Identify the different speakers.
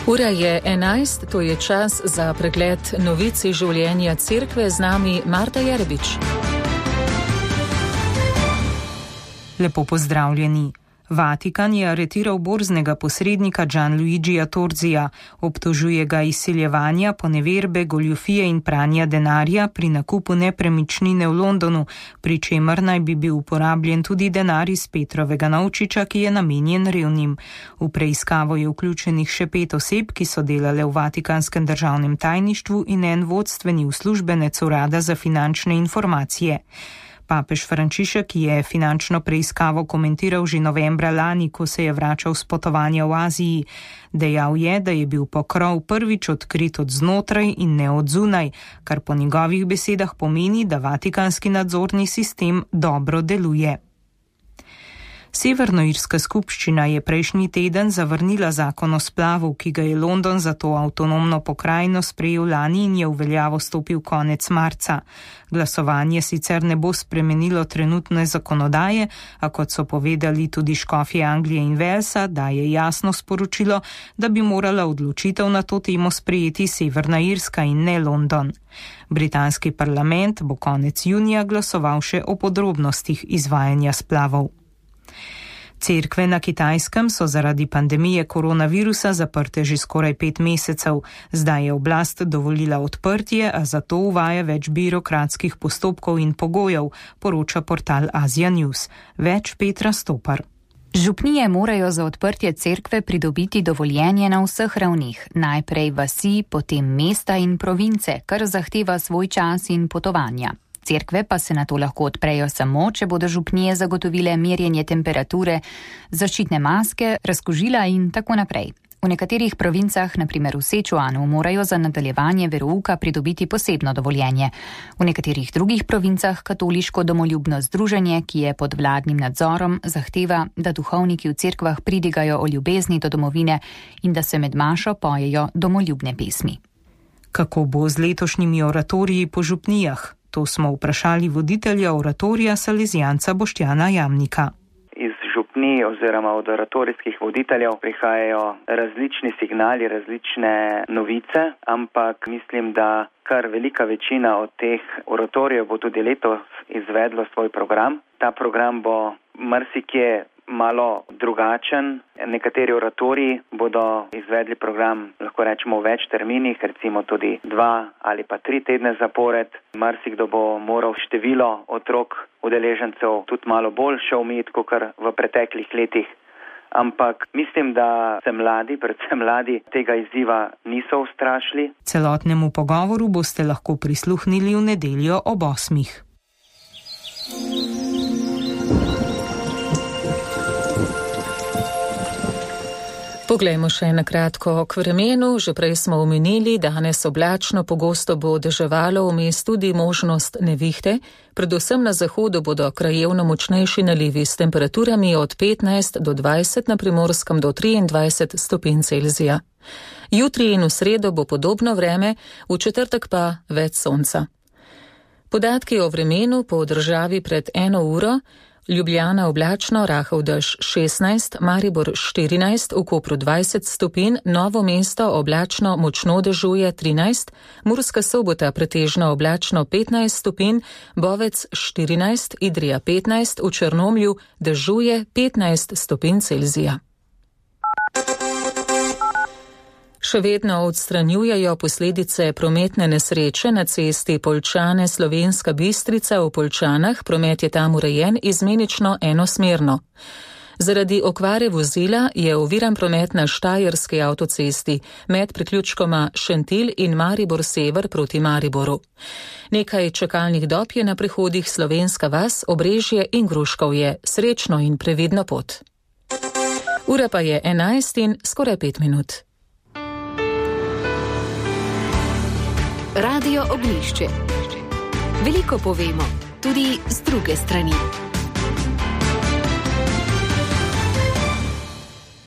Speaker 1: Ura je 11, to je čas za pregled novic iz življenja cerkve. Z nami Marta Jerebič.
Speaker 2: Lepo pozdravljeni. Vatikan je aretiral borznega posrednika Gianluigija Torzija. Obtožuje ga izsiljevanja, poneverbe, goljufije in pranja denarja pri nakupu nepremičnine v Londonu, pri čemer naj bi bil uporabljen tudi denar iz Petrovega novčiča, ki je namenjen revnim. V preiskavo je vključenih še 5 oseb, ki so delale v Vatikanskem državnem tajništvu in en vodstveni uslužbenec urada za finančne informacije. Papež Frančišek je finančno preiskavo komentiral že novembra lani, ko se je vračal s potovanja v Aziji. Dejal je, da je bil pokrov prvič odkrit od znotraj in ne od zunaj, kar po njegovih besedah pomeni, da vatikanski nadzorni sistem dobro deluje. Severnoirska skupščina je prejšnji teden zavrnila zakon o splavu, ki ga je London za to avtonomno pokrajino sprejel lani in je v veljavo stopil konec marca. Glasovanje sicer ne bo spremenilo trenutne zakonodaje, a kot so povedali tudi škofje Anglije in Walesa, daje jasno sporočilo, da bi morala odločitev na to temo sprejeti Severna Irska in ne London. Britanski parlament bo konec junija glasoval še o podrobnostih izvajanja splavov. Cerkve na Kitajskem so zaradi pandemije koronavirusa zaprte že skoraj 5 mesecev. Zdaj je oblast dovolila odprtje, a zato uvaja več birokratskih postopkov in pogojev, poroča portal Asia News. Več Petra Stopar.
Speaker 3: Župnije morajo za odprtje cerkve pridobiti dovoljenje na vseh ravnih, najprej vasi, potem mesta in province, kar zahteva svoj čas in potovanja. Cerkve pa se na to lahko odprejo samo, če bodo župnije zagotovile merjenje temperature, zaščitne maske, razkužila in tako naprej. V nekaterih provincah, na primer v Sečuanu, morajo za nadaljevanje verouka pridobiti posebno dovoljenje. V nekaterih drugih provincah katoliško domoljubno združenje, ki je pod vladnim nadzorom, zahteva, da duhovniki v cerkvah pridigajo o ljubezni do domovine in da se med mašo pojejo domoljubne pesmi.
Speaker 2: Kako bo z letošnjimi oratoriji po župnijah? To smo vprašali voditelja oratorija Salezijanca Boštjana Jamnika.
Speaker 4: Iz župnij oziroma od oratorijskih voditeljev prihajajo različni signali, različne novice, ampak mislim, da kar velika večina od teh oratorijev bo tudi letos izvedlo svoj program. Ta program bo marsikje malo drugačen. Nekateri oratoriji bodo izvedli program, lahko rečemo, v več terminih, recimo tudi 2 ali pa 3 tedne zapored. Marsikdo bo moral število otrok udeležencev tudi malo bolj še omejiti, kot v preteklih letih. Ampak mislim, da se mladi, predvsem mladi, tega izziva niso ustrašili.
Speaker 2: Celotnemu pogovoru boste lahko prisluhnili v nedeljo ob 8.
Speaker 1: Poglejmo še na kratko k vremenu. Že prej smo omenili, danes oblačno, pogosto bo deževalo, vmes tudi možnost nevihte. Predvsem na zahodu bodo krajevno močnejši nalivi s temperaturami od 15 do 20, na Primorskem do 23 stopinj Celzija. Jutri in v sredo bo podobno vreme, v četrtek pa več sonca. Podatki o vremenu po državi pred 1 uro. Ljubljana oblačno, rahel dež 16, Maribor 14, v Kopru 20 stopinj, Novo mesto oblačno, močno dežuje 13, Murska Sobota pretežno oblačno 15 stopinj, Bovec 14, Idrija 15, v Črnomlju dežuje 15 stopinj Celzija. Še vedno odstranjujejo posledice prometne nesreče na cesti Poljčane Slovenska Bistrica v Poljčanah. Promet je tam urejen izmenično enosmerno. Zaradi okvare vozila je oviran promet na Štajerski avtocesti med priključkoma Šentilj in Maribor Sever proti Mariboru. Nekaj čakalnih dob je na prehodih Slovenska vas, Obrežje in Gruškovje. Srečno in previdno pot. Ura pa je 11 in skoraj 5 minut.
Speaker 5: Radio Oglišče. Veliko povemo, tudi z druge strani.